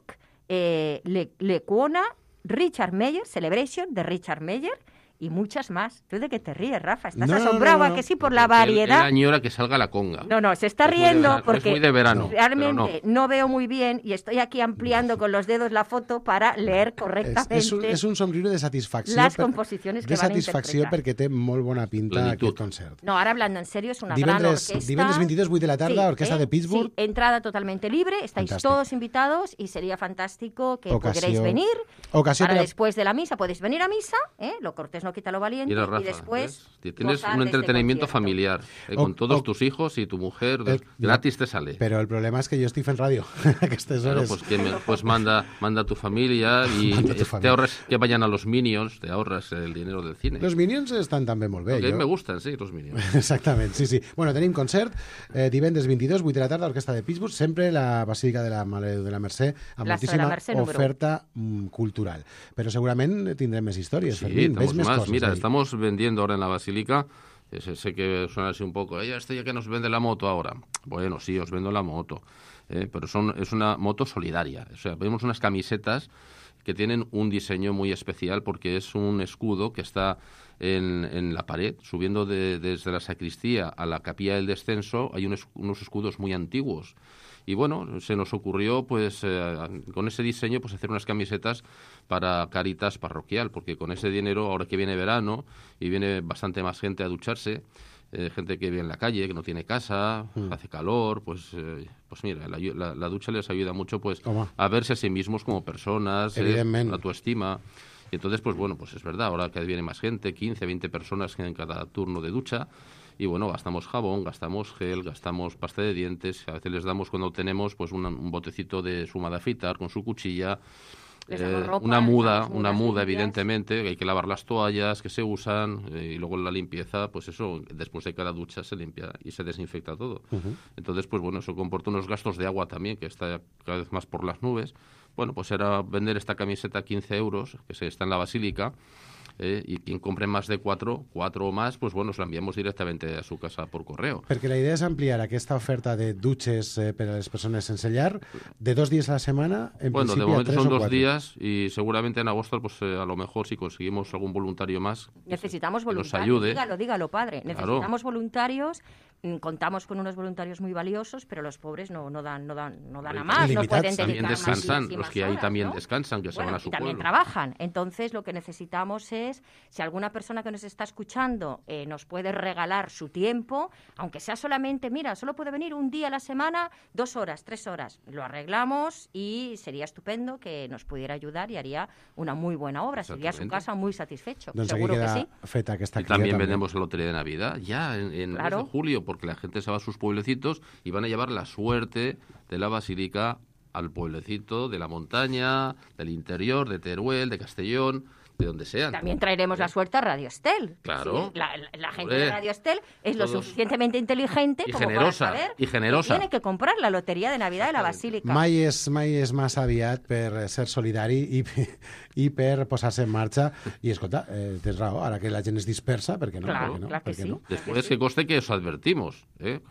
Lecuona, Richard Meyer, Celebration de Richard Meyer y muchas más. ¿Tú de qué te ríes, Rafa? ¿Estás asombrado a que sí por la variedad? Él añora que salga la conga. No, se está riendo porque es muy de verano, realmente no veo muy bien y estoy aquí ampliando con los dedos la foto para leer correctamente és un somriure de satisfacció. las composiciones que van a satisfacció interpretar. perquè té molt bona pinta Plenitud. aquest concert. No, ahora hablando en serio, es una gran orquesta. Divendres 22, 8 de la tarda, Orquesta de Pittsburgh. Sí, entrada totalmente libre, estáis Fantàstic. todos invitados y sería fantástico que Ocasió- pudierais venir. ocasió Para per a- después de la misa, podéis venir a misa, lo cortés no quita lo valiente, Mira, Rafa, y después ¿ves? Tienes gozar un de este entretenimiento concierto. familiar O- con todos o- tus hijos y tu mujer, El- gratis te sale. Però el problema és que jo estic fent ràdio a aquestes Claro, hores. pues manda a tu familia y Manda a tu te familia. ahorras que vayan a los Minions, te ahorras el dinero del cine. Los Minions estan també molt bé. Porque a mí me gustan, sí, los Minions. Exactament, sí. Bueno, tenim concert divendres 22, 8 de la tarda, Orquesta de Pittsburgh, sempre la Basílica de la Mercè, amb Plaça de la moltíssima Mercè, número oferta cultural. Però segurament tindrem més històries, Sí, Fermín. Ves tenemos més más. coses Mira, ahí. estamos vendiendo ahora en la Basílica. Sé que suena así un poco. Este ya que nos vende la moto ahora. Bueno, sí, os vendo la moto. Pero es una moto solidaria. O sea, vemos unas camisetas que tienen un diseño muy especial porque es un escudo que está en la pared, subiendo desde la sacristía a la capilla del descenso. Hay unos escudos muy antiguos. Y bueno, se nos ocurrió pues con ese diseño pues hacer unas camisetas para Cáritas parroquial, porque con ese dinero, ahora que viene verano y viene bastante más gente a ducharse, gente que vive en la calle, que no tiene casa, hace calor, pues mira, la ducha les ayuda mucho pues Home. a verse a sí mismos como personas, Evidentment. la autoestima. Y entonces, pues bueno, pues es verdad, ahora que viene más gente, 15, 20 personas en cada turno de ducha, y bueno, gastamos jabón, gastamos gel, gastamos pasta de dientes, a veces les damos cuando tenemos pues un botecito de suma de afeitar con su cuchilla, Les damos ropa, una les muda damos mudas limpias. evidentemente, que hay que lavar las toallas que se usan y luego la limpieza, pues eso, después de cada ducha se limpia y se desinfecta todo. Entonces, pues bueno, eso comporta unos gastos de agua también, que está cada vez más por las nubes. Bueno, pues era vender esta camiseta a 15 euros, que está en la Basílica, y quien compre más de 4 o más, pues bueno, se la enviamos directamente a su casa por correo. Perquè la idea és ampliar aquesta oferta de dutxes per a les persones sense llar de 2 dies a la setmana, en Bueno, de principi a momento 3 son o 2 4. días y seguramente en agosto, pues a lo mejor si conseguimos algún voluntario más, Necesitamos que nos voluntarios. ayude. Dígalo, padre. Claro. Necesitamos voluntarios. Contamos con unos voluntarios muy valiosos, pero los pobres no dan a más, no pueden dedicar También descansan, muchísimas los que ahí horas, también ¿no? descansan, que se Bueno, van a su y también pueblo. trabajan. Entonces, lo que necesitamos es, si alguna persona que nos está escuchando nos puede regalar su tiempo, aunque sea solamente, mira, solo puede venir un día a la semana, 2 horas, 3 horas. Lo arreglamos y sería estupendo que nos pudiera ayudar y haría una muy buena obra. Sería su Exactamente. casa muy satisfecho. Doncs aquí Seguro que queda sí. feta aquesta Y cria también també. vendemos la lotería de Navidad ya en el mes Claro. de julio, porque la gente se va a sus pueblecitos y van a llevar la suerte de la Basílica al pueblecito de la montaña, del interior, de Teruel, de Castellón, de donde sean. También traeremos la suerte a Radio Estel. Claro. Sí, la gente Hombre, de Radio Estel es lo todos- suficientemente inteligente Y como generosa, para saber y generosa. que tiene que comprar la lotería de Navidad de la Basílica. Mai és massa aviat per ser solidari i per posar-se en marxa. I, escolta, tens raó, ara que la gent es dispersa, per què no? Claro, Per què no? claro que Per què sí. no? Después que conste que os advertimos,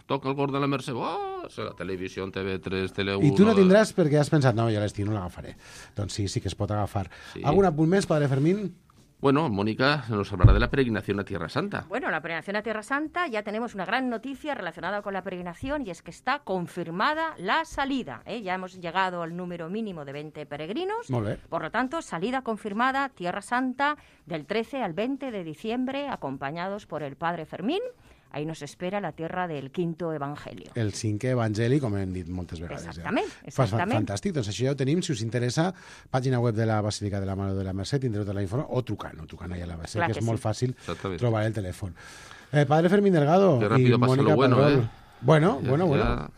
toca el gordo de la Mercè, ¡oh! La televisión, TV3, Tele1... I tu no tindràs perquè has pensat, no, jo l'estiu no l'agafaré. Doncs sí que es pot agafar. Sí. Algun apunt més, padre Fermín? Bueno, Mónica nos hablará de la peregrinación a Tierra Santa. Bueno, la peregrinación a Tierra Santa, ya tenemos una gran noticia relacionada con la peregrinación y es que está confirmada la salida. Ya hemos llegado al número mínimo de 20 peregrinos. Molt bé. Por lo tanto, salida confirmada, Tierra Santa, del 13 al 20 de diciembre, acompañados por el Padre Fermín. Ahí nos espera la tierra del quinto evangelio. El cinquè evangeli, com hem dit moltes vegades. Exactament, Ja. exactament. Fantàstic, doncs això ja ho tenim. Si us interessa, pàgina web de la Basílica de la Mare de la Mercè, tindreu tota la informació, o trucant allà a la Basílica, Clar que que és molt sí. fàcil Exactament. trobar el telèfon. Padre Fermín Delgado Qué y rápido pasa Mónica lo bueno, Padrol. Bueno, Ya- bueno. ya-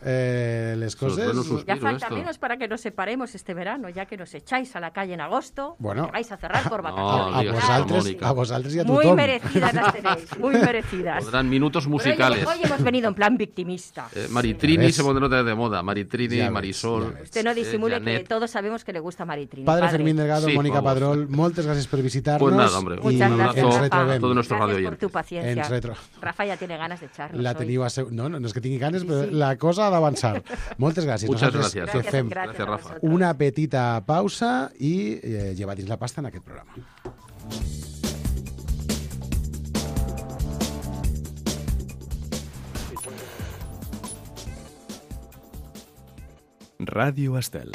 Les Se os ven un coses... suspiro Ya falta esto. menos para que nos separemos este verano, ya que nos echáis a la calle en agosto, Bueno. que vais a cerrar por No, vacaciones. A digas vosaltres, Mónica. a vosaltres i a Muy tothom. merecidas las tenéis, muy merecidas. Podrán minutos Pero musicales. hoy hemos venido en plan victimista. Maritrini Ya ves. se pondrá de moda. Maritrini, Ya ves, Marisol. ya ves. Usted no disimule que Janet. todos sabemos que le gusta Maritrini. Padre Fermín Delgado, Sí, Mónica vamos. Padrol, moltes gràcies per visitar-nos. Pues nada, hombre. I Muchas un gracias, ens abrazo retrobem. a todos nuestros Gracias radio por tu paciencia. Ens retro- Rafa ya tiene ganas de echarnos La hoy. teniu no és que tingui ganes, Sí, però sí. la cosa ha d'avançar. Moltes gràcies. Muchas Nosaltres gracias. que fem Gracias, a Rafa. vosotros. una petita pausa i llevar dins la pasta en aquest programa. Ràdio Estel.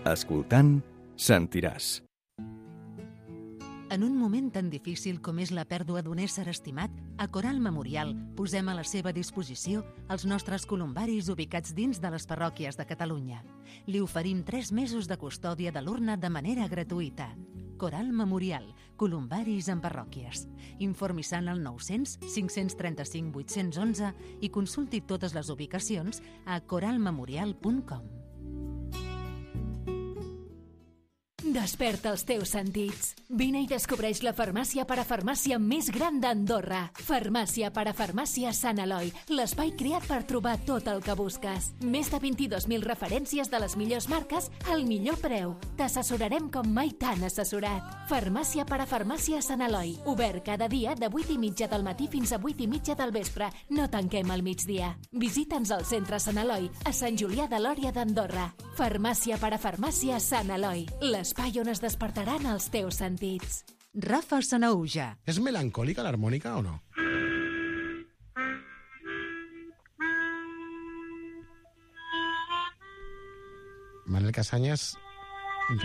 Escoltant, sentiràs. En un moment tan difícil com és la pèrdua d'un ésser estimat, a Coral Memorial posem a la seva disposició els nostres columbaris ubicats dins de les parròquies de Catalunya. Li oferim 3 mesos de custòdia de l'urna de manera gratuïta. Coral Memorial, columbaris en parròquies. Informi-se al 900 535 811 i consulti totes les ubicacions a coralmemorial.com. Desperta els teus sentits. Vine i descobreix la farmàcia parafarmàcia més gran d'Andorra. Farmàcia parafarmàcia Sant Eloi, l'espai creat per trobar tot el que busques. Més de 22.000 referències de les millors marques al millor preu. T'assessorarem com mai t'han assessorat. Farmàcia parafarmàcia Sant Eloi, obert cada dia de 8:30 del matí fins a 8:30 del vespre. No tanquem al migdia. Visita'ns al centre Sant Eloi, a Sant Julià de Lòria d'Andorra. Farmàcia parafarmàcia Sant Eloi, l'espai on es despertaran els teus sentits. Rafa Sanauja. És melancòlica l'harmònica o no? Manel Casanyes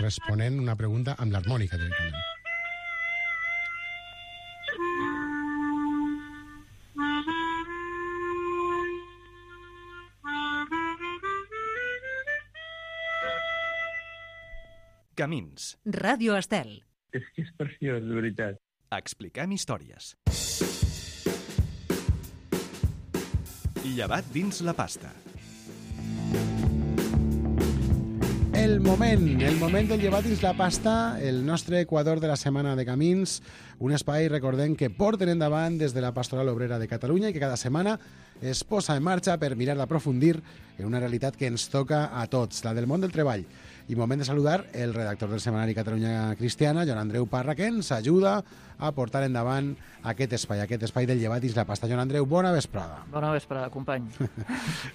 responent una pregunta amb l'harmònica directament. Camins. Ràdio Estel. És que és preciós, de veritat. Expliquem històries. Llevat dins la pasta. El moment del llevat dins la pasta, el nostre Equador de la setmana de Camins, un espai, recordem, que porten endavant des de la Pastoral Obrera de Catalunya i que cada setmana es posa en marxa per mirar d'aprofundir en una realitat que ens toca a tots, la del món del treball. I moment de saludar el redactor del setmanari Catalunya Cristiana, Joan Andreu Parra, que ens ajuda a portar endavant aquest espai del llevat dins la pasta. Joan Andreu, bona vesprada. Bona vesprada, company.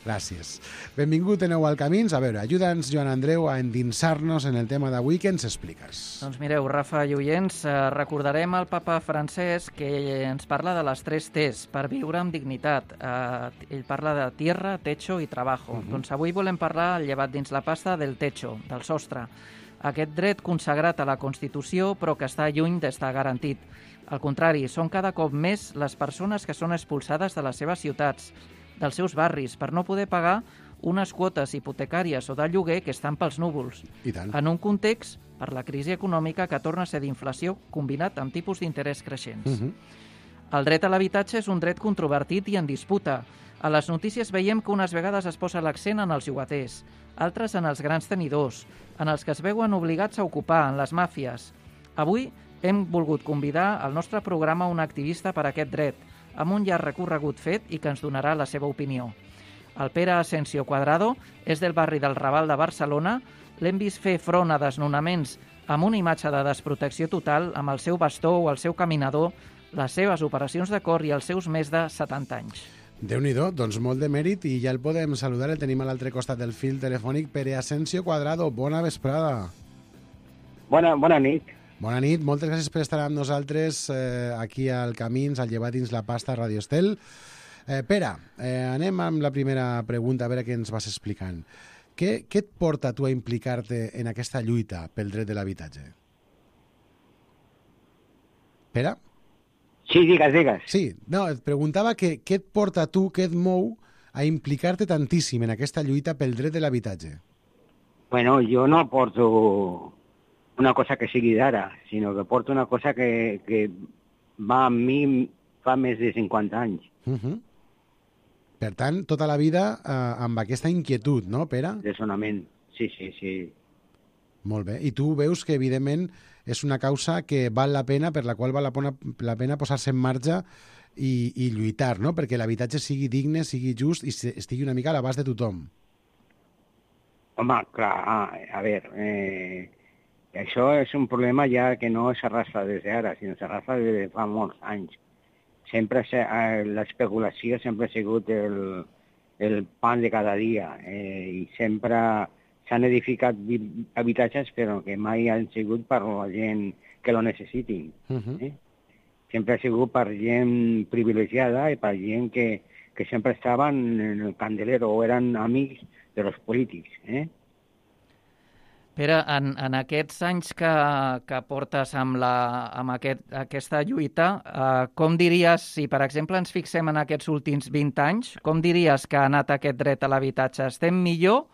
Gràcies. Benvingut de nou al Camins. A veure, ajuda'ns, Joan Andreu, a endinsar-nos en el tema d'avui. Què ens expliques? Doncs mireu, Rafa i oients, recordarem el papa Francesc que ens parla de les 3 T's per viure amb dignitat. Ell parla de tierra, techo i trabajo. Doncs avui volem parlar, al llevat dins la pasta, del techo, del sostre. Aquest dret consagrat a la Constitució, però que està lluny d'estar garantit. Al contrari, són cada cop més les persones que són expulsades de les seves ciutats, dels seus barris, per no poder pagar unes quotes hipotecàries o de lloguer que estan pels núvols. I tant. En un context, per la crisi econòmica, que torna a ser d'inflació combinat amb tipus d'interès creixents. El dret a l'habitatge és un dret controvertit i en disputa. A les notícies veiem que unes vegades es posa l'accent en els llogaters, altres en els grans tenidors, en els que es veuen obligats a ocupar, en les màfies. Avui hem volgut convidar al nostre programa un activista per a aquest dret, amb un llarg recorregut fet i que ens donarà la seva opinió. El Pere Asensio Cuadrado és del barri del Raval de Barcelona. L'hem vist fer front a desnonaments amb una imatge de desprotecció total, amb el seu bastó o el seu caminador, les seves operacions de cor i els seus més de 70 anys. Déu-n'hi-do, doncs molt de mèrit i ja el podem saludar, el tenim a l'altre costat del fil telefònic. Pere Asensio Cuadrado, bona vesprada. Bona nit. Bona nit, moltes gràcies per estar amb nosaltres aquí al Camins, al Llevat dins la pasta a Radio Estel. Pere, anem amb la primera pregunta, a veure què ens vas explicant. Què et porta tu a implicar-te en aquesta lluita pel dret de l'habitatge? Pere? Sí, digues. Sí, no, et preguntava què et porta a tu, què et mou a implicar-te tantíssim en aquesta lluita pel dret de l'habitatge? Bueno, jo no porto una cosa que sigui d'ara, sinó que porto una cosa que va amb mi fa més de 50 anys. Per tant, tota la vida amb aquesta inquietud, no, Pere? Dessonament, sí. Molt bé. I tu veus que, evidentment, és una causa que val la pena, per la qual val la pena posar-se en marxa i lluitar, no? Perquè l'habitatge sigui digne, sigui just i estigui una mica a l'abast de tothom. Home, clar, a veure, això és un problema ja que no s'arrastra des d'ara, sinó s'arrastra des de fa molts anys. Sempre l'especulació sempre ha sigut el pan de cada dia i sempre s'han edificat habitatges però que mai han sigut per la gent que lo necessitin. Sempre ha sigut per gent privilegiada i per gent que sempre estaven en el candelero o eren amics de los polítics. Pere, en aquests anys que portes amb aquesta lluita, com diries, si per exemple ens fixem en aquests últims 20 anys, com diries que ha anat aquest dret a l'habitatge? Estem millor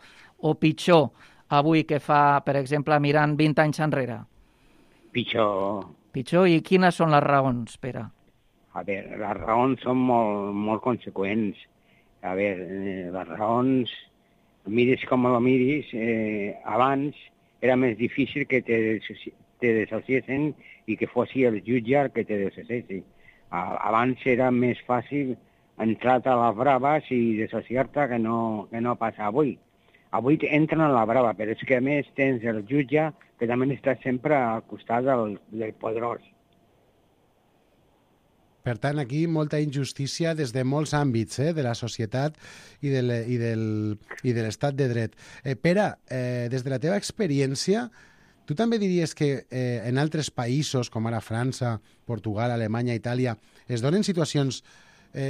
o pitjor avui que fa, per exemple, mirant 20 anys enrere? Pitjor. Pitjor? I quines són les raons, Pere? A veure, les raons són molt conseqüents. A veure, les raons, miris com ho miris, abans era més difícil que te desassociessin i que fossi el jutge el que te desassessi. Abans era més fàcil entrar a les braves i desassociar-te que no passa avui. Avui entren a la brava, però és que a més tens el jutge que també està sempre al costat del poderós. Per tant, aquí molta injustícia des de molts àmbits de la societat i de l'estat de dret. Pere, des de la teva experiència, tu també diries que en altres països, com ara França, Portugal, Alemanya, Itàlia, es donen situacions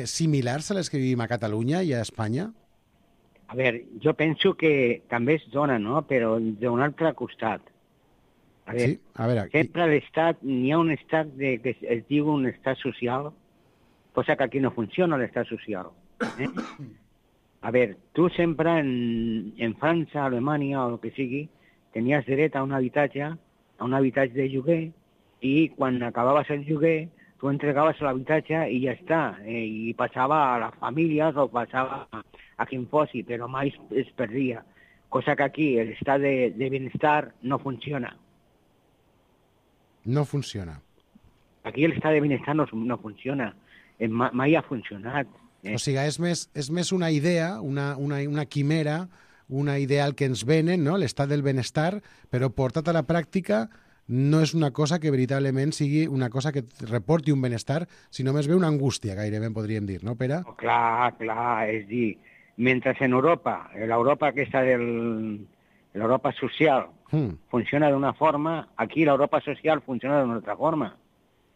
similars a les que vivim a Catalunya i a Espanya? A veure, jo penso que també es dona, no? Però d'un altre costat. A veure, sempre l'estat, n'hi ha un estat que es diu un estat social, cosa que aquí no funciona l'estat social. A veure, tu sempre en França, Alemanya o el que sigui, tenies dret a un habitatge de lloguer, i quan acabaves el lloguer, tu entregaves l'habitatge i ja està. I passava a les famílies o passava a quien fossi, però mai es perdia. Cosa que aquí l'estat de benestar no funciona. No funciona. Aquí l'estat de benestar no funciona. Mai ha funcionat. O sigui, és més una idea, una quimera, una ideal que ens venen, no? L'estat del benestar, però portat a la pràctica no és una cosa que veritablement sigui una cosa que reporti un benestar, sinó més bé una angústia, gairebé podríem dir, no, Pere? Oh, clar, és dir, mentre en Europa, l'Europa aquesta l'Europa social funciona d'una forma, aquí l'Europa social funciona d'una altra forma.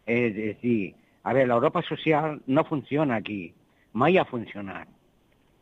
És dir, a veure, l'Europa social no funciona aquí, mai ha funcionat.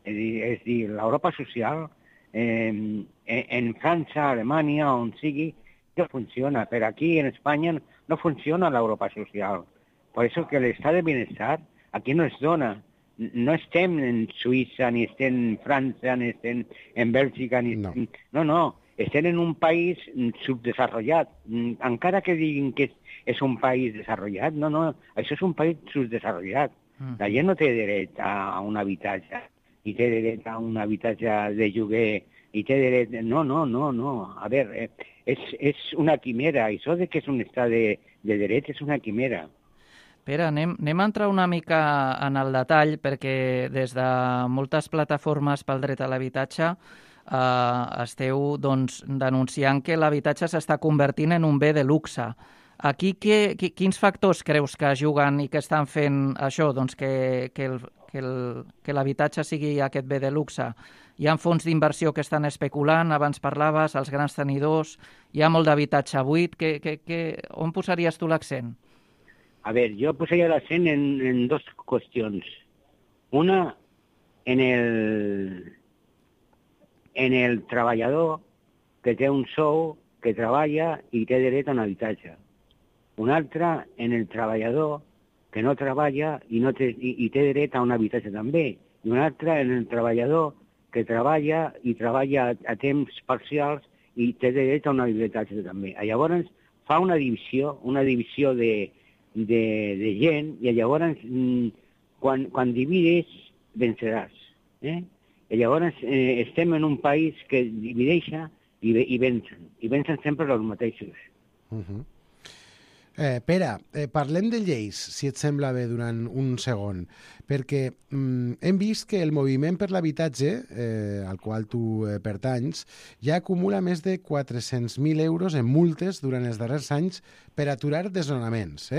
És dir, l'Europa social en França, Alemanya, on sigui, no funciona, però aquí en Espanya no funciona l'Europa social. Per això que l'estat de benestar aquí no es dona. No estem en Suïssa, ni estem en França, ni estem en Bèlgica, ni estem... No, estem en un país subdesarrollat. Encara que diguin que és un país desarrollat, no, això és un país subdesarrollat. La gent no té dret a un habitatge, ni té dret a un habitatge de lloguer, i té dret... No. A veure, és una quimera. Això de que és un estat de dret és una quimera. Pere, anem a entrar una mica en el detall, perquè des de moltes plataformes pel dret a l'habitatge esteu denunciant que l'habitatge s'està convertint en un bé de luxe. Aquí quins factors creus que juguen i que estan fent això, doncs que l'habitatge sigui aquest bé de luxe? Hi ha fons d'inversió que estan especulant, abans parlaves, els grans tenidors, hi ha molt d'habitatge buit. On posaries tu l'accent? A ver, yo posaría l'accent en dos qüestions. Una, en el treballador que té un sou, que treballa i té dret a un habitatge. Una altra, en el treballador que no treballa i té dret a un habitatge també. I una altra, en el treballador que treballa i treballa a temps parcials i té dret a un habitatge també. Llavors fa una divisió de gent i llavors quan divides venceràs. I llavors estem en un país que divideixa i vencen sempre els mateixos. Pere, parlem de lleis, si et sembla bé, durant un segon, perquè hem vist que el moviment per l'habitatge, al qual tu pertanys, ja acumula més de 400.000 euros en multes durant els darrers anys per aturar desnonaments.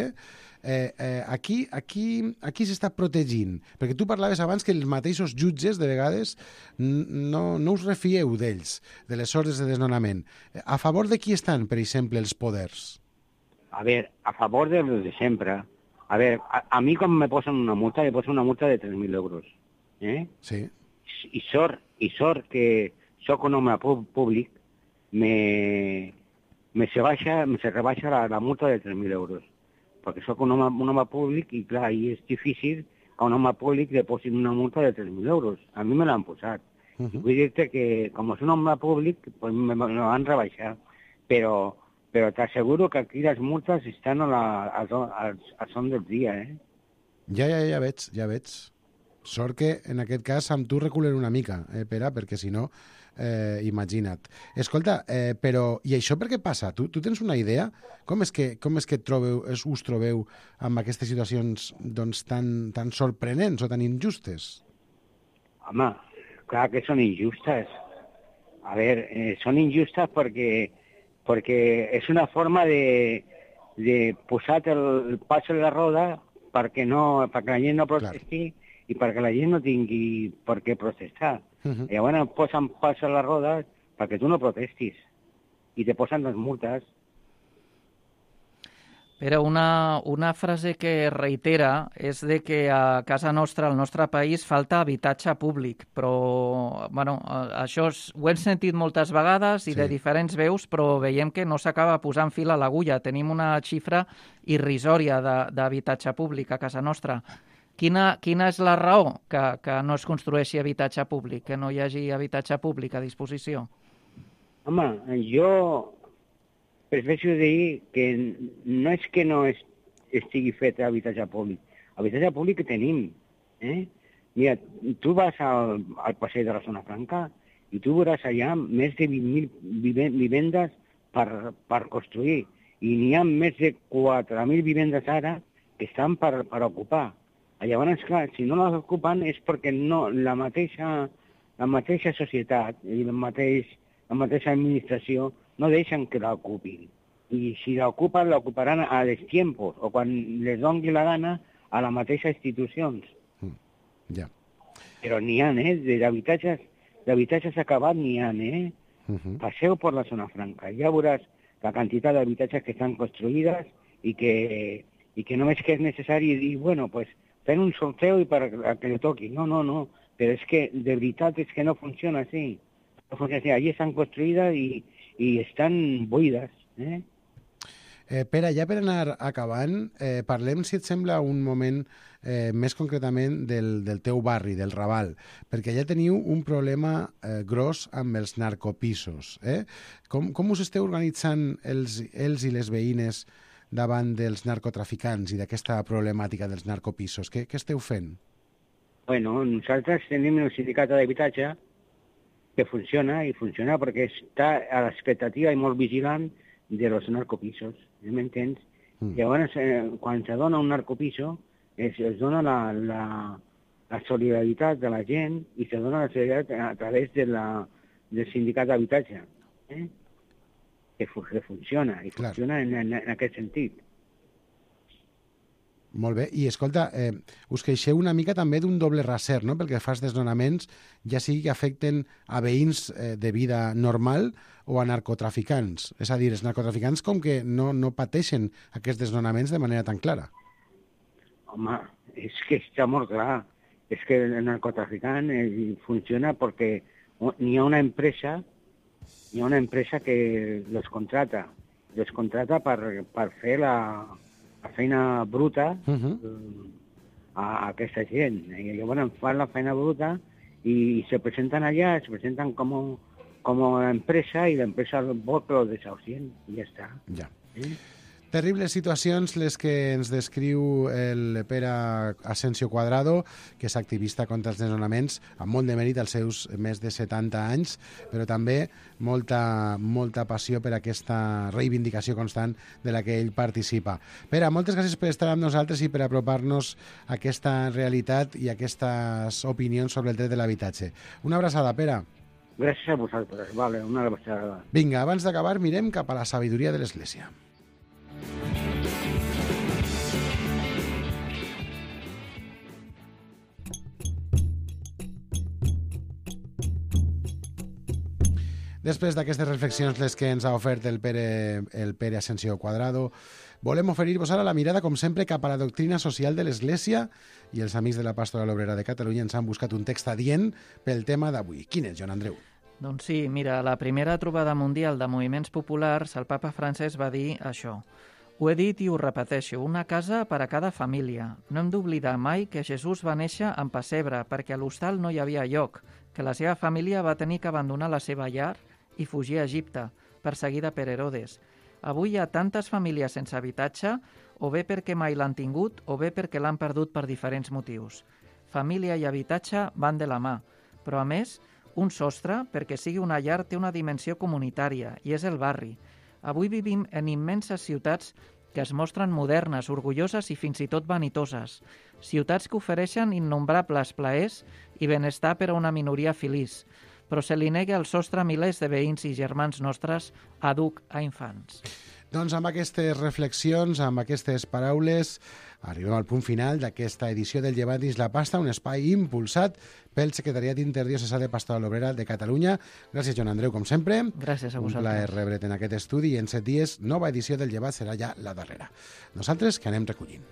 Aquí s'està protegint, perquè tu parlaves abans que els mateixos jutges, de vegades, no us refieu d'ells, de les ordres de desnonament. A favor de qui estan, per exemple, els poders? A ver, a favor de los de sempre. A ver, a mí cuando me posen una multa, me posen una multa de 3.000 euros. Sí. I sort que soc un home públic, me rebaixa la multa de 3.000 euros. Perquè soc un home públic i, clar, i és difícil que a un home públic li posin una multa de 3.000 euros. A mi me l'han posat. I vull dir-te que, com és un home públic, pues me van rebaixar. Però t'asseguro que aquí les multes estan al son del dia, Ja veig. Sort que, en aquest cas, amb tu reculen una mica, Pere, perquè si no, imagina't. Escolta, però, i això per què passa? Tu tens una idea? Com és que us trobeu amb aquestes situacions doncs, tan sorprenents o tan injustes? Home, clar que són injustes. A veure, són injustes perquè és una forma de posar el pas en la roda perquè la gent no protesti i perquè la gent no tingui per què protestar. Llavors posen pas en la roda perquè tu no protestis i te posen les multes. Però una frase que reitera és de que a casa nostra, al nostre país, falta habitatge públic. Però, bueno, això ho hem sentit moltes vegades i de diferents veus, però veiem que no s'acaba posant fil a l'agulla. Tenim una xifra irrisòria d'habitatge públic a casa nostra. Quina és la raó que no es construeixi habitatge públic, que no hi hagi habitatge públic a disposició? Home, jo prefereixo dir que no és que no estigui fet habitatge públic. Habitatge públic que tenim. Mira, tu vas al passeig de la Zona Franca i tu veuràs allà més de 20.000 vivendes per construir. I n'hi ha més de 4.000 vivendes ara que estan per ocupar. Llavors, clar, si no les ocupen és perquè la mateixa societat i la mateixa administració no deixen que l'ocupin. I si l'ocupen, l'ocuparan a destiempos o quan les doni la gana a les mateixes institucions. Ja. Però n'hi ha, d'habitatges acabats n'hi ha, Passeu per la Zona Franca, ja veuràs la quantitat d'habitatges que estan construïdes i que només que és necessari dir, bueno, pues fent un sorteo i per que li toqui. No. Però és que, de veritat, és que no funciona així. No funciona així. Allí estan construïdes i estan buides. Pere, ja per anar acabant, parlem, si et sembla, un moment més concretament del teu barri, del Raval, perquè ja teniu un problema gros amb els narcopisos. Com us esteu organitzant els i les veïnes davant dels narcotraficants i d'aquesta problemàtica dels narcopisos? Què esteu fent? Bueno, nosaltres tenim el sindicat d'habitatge que funciona perquè està a l'expectativa i molt vigilant de los narcopisos, m'entens? Llavors, quan se dona un narcopiso, es dona la solidaritat de la gent i se dona la solidaritat a través del sindicat d'habitatge. funciona, i funciona en aquest sentit. Molt bé. I, escolta, us queixeu una mica també d'un doble raser, no?, pel que fa als desnonaments, ja sigui que afecten a veïns de vida normal o a narcotraficants. És a dir, els narcotraficants com que no pateixen aquests desnonaments de manera tan clara. Home, és que està molt clar. És que el narcotraficant funciona perquè hi ha una empresa que los contrata per fer la feina bruta a aquesta gent. I llavors fan la feina bruta i se presenten allà, se presenten com a empresa i l'empresa vol que lo desahucien i ja està. Ja. Terribles situacions les que ens descriu el Pere Asensio Cuadrado, que és activista contra els desnonaments, amb molt de mèrit als seus més de 70 anys, però també molta passió per aquesta reivindicació constant de la que ell participa. Pere, moltes gràcies per estar amb nosaltres i per apropar-nos a aquesta realitat i a aquestes opinions sobre el dret de l'habitatge. Una abraçada, Pere. Gràcies a vosaltres. Vale, una abraçada. Vinga, abans d'acabar, mirem cap a la sabidoria de l'Església. Després d'aquestes reflexions les que ens ha ofert el Pere Asensio Cuadrado, volem oferir-vos ara la mirada, com sempre, cap a la doctrina social de l'Església, i els amics de la Pastoral Obrera de Catalunya ens han buscat un text adient pel tema d'avui. Quin és, Joan Andreu? Doncs sí, mira, a la primera trobada mundial de moviments populars, el papa Francesc va dir això. Ho he dit i ho repeteixo, una casa per a cada família. No hem d'oblidar mai que Jesús va néixer en pessebre perquè a l'hostal no hi havia lloc, que la seva família va tenir que abandonar la seva llar i fugir a Egipte, perseguida per Herodes. Avui hi ha tantes famílies sense habitatge, o bé perquè mai l'han tingut, o bé perquè l'han perdut per diferents motius. Família i habitatge van de la mà, però a més, un sostre, perquè sigui una llar, té una dimensió comunitària, i és el barri. Avui vivim en immenses ciutats que es mostren modernes, orgulloses i fins i tot vanitoses. Ciutats que ofereixen innombrables plaers i benestar per a una minoria feliç, però se li nega el sostre a milers de veïns i germans nostres a dur a infants. Doncs amb aquestes reflexions, amb aquestes paraules, arribem al punt final d'aquesta edició del Llevat dins la pasta, un espai impulsat pel Secretariat Interdiocesà de Pastoral Obrera de Catalunya. Gràcies, Joan Andreu, com sempre. Gràcies a vosaltres. Un plaer rebre't en aquest estudi i en 7 dies, nova edició del Llevat serà ja la darrera. Nosaltres que anem recollint.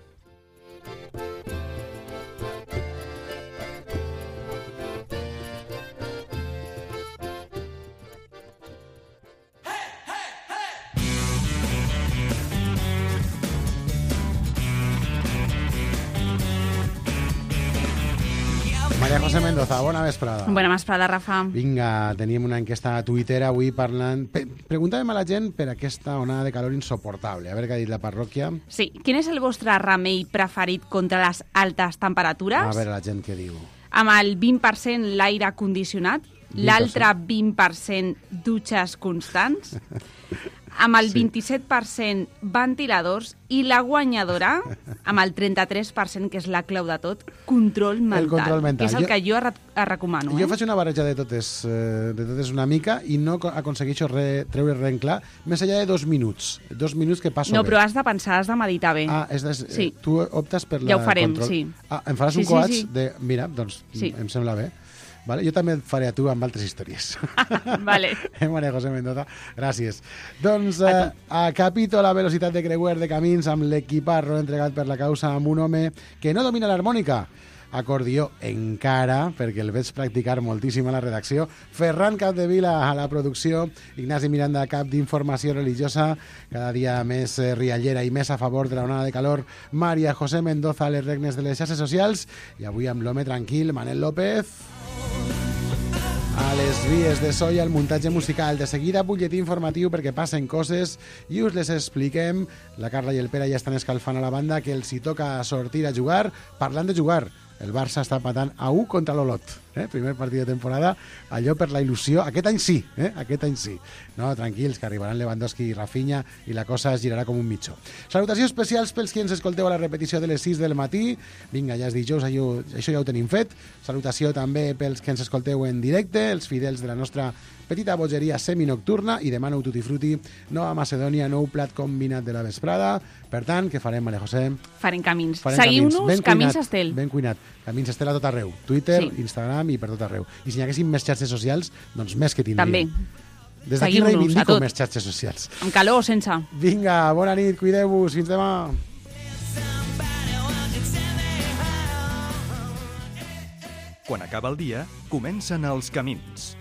Maria José Mendoza, bona vesprada. Bona vesprada, Rafa. Vinga, teníem una enquesta a Twitter avui parlant... Preguntàvem a la gent per aquesta onada de calor insoportable. A veure què ha dit la parròquia. Sí. Quin és el vostre remei preferit contra les altes temperatures? A veure la gent què diu. Amb el 20% l'aire condicionat, l'altre 20% dutxes constants, amb el 27% ventiladors i la guanyadora, amb el 33%, que és la clau de tot, control mental. El control mental. Que és el que jo recomano. Jo faig una barreja de totes una mica i no aconsegueixo treure res en clar, més enllà de 2 minuts. 2 minuts que passo bé. No, però has de pensar, has de meditar bé. Sí. Tu optes per la ja ho farem, control. sí. Em faràs un coach de... Mira, doncs em sembla bé. Vale? Jo també et faré a tu amb altres històries. Vale. Maria José Mendoza, gràcies. Doncs a capítol a velocitat de creuer de camins amb l'equiparro entregat per la causa amb un home que no domina l'harmònica. Acordió encara, perquè el veig practicar moltíssim a la redacció. Ferran Capdevila a la producció. Ignasi Miranda, cap d'informació religiosa. Cada dia més riallera i més a favor de la onada de calor. Maria José Mendoza a les regnes de les xarxes socials. I avui amb l'home tranquil, Manel López. A les vies de so i al muntatge musical. De seguida, butlletí informatiu perquè passen coses i us les expliquem. La Carla i el Pere ja estan escalfant a la banda que els hi toca sortir a jugar. Parlant de jugar, el Barça està empatant a 1 contra l'Olot. Primer partit de temporada, allò per la il·lusió. Aquest any sí, aquest any sí. No, tranquils, que arribaran Lewandowski i Rafinha i la cosa es girarà com un mitjó. Salutacions especials pels qui ens escolteu a la repetició de les 6 del matí. Vinga, ja és dijous, això ja ho tenim fet. Salutació també pels que ens escolteu en directe, els més fidels de la nostra petita bogeria seminocturna i demà nou tutti frutti, nova Macedònia, nou plat combinat de la vesprada. Per tant, què farem, Maria José? Farem camins. Seguiu-nos, Camins Estel. Ben cuinat. Camins Estel a tot arreu. Twitter, Sí. Instagram i per tot arreu. I si n'hi haguessin més xarxes socials, doncs més que tindríem. També. Des d'aquí Seguiu-nos a reivindico tot. més xarxes socials. Amb calor o sense. Vinga, bona nit, cuideu-vos, fins demà. Quan acaba el dia, comencen els camins.